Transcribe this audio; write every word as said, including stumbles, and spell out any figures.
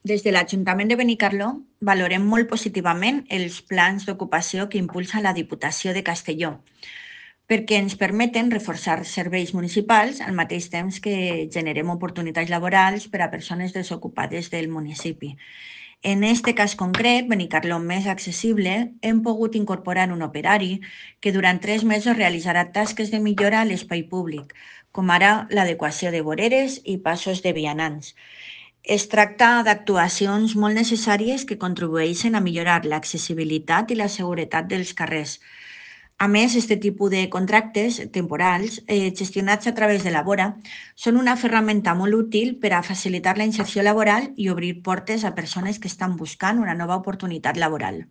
Des de l'Ajuntament de Benicarló valorem molt positivament els plans d'ocupació que impulsa la Diputació de Castelló, perquè ens permeten reforçar serveis municipals al mateix temps que generem oportunitats laborals per a persones desocupades del municipi. En este cas concret, Benicarló més accessible, hem pogut incorporar un operari que durant tres mesos realitzarà tasques de millora a l'espai públic, com ara l'adequació de voreres i passos de vianants. Es tracta d'actuacions molt necessàries que contribueixen a millorar l'accessibilitat i la seguretat dels carrers. A més, aquest tipus de contractes temporals, eh, gestionats a través de la Vora, són una ferramenta molt útil per a facilitar la inserció laboral i obrir portes a persones que estan buscant una nova oportunitat laboral.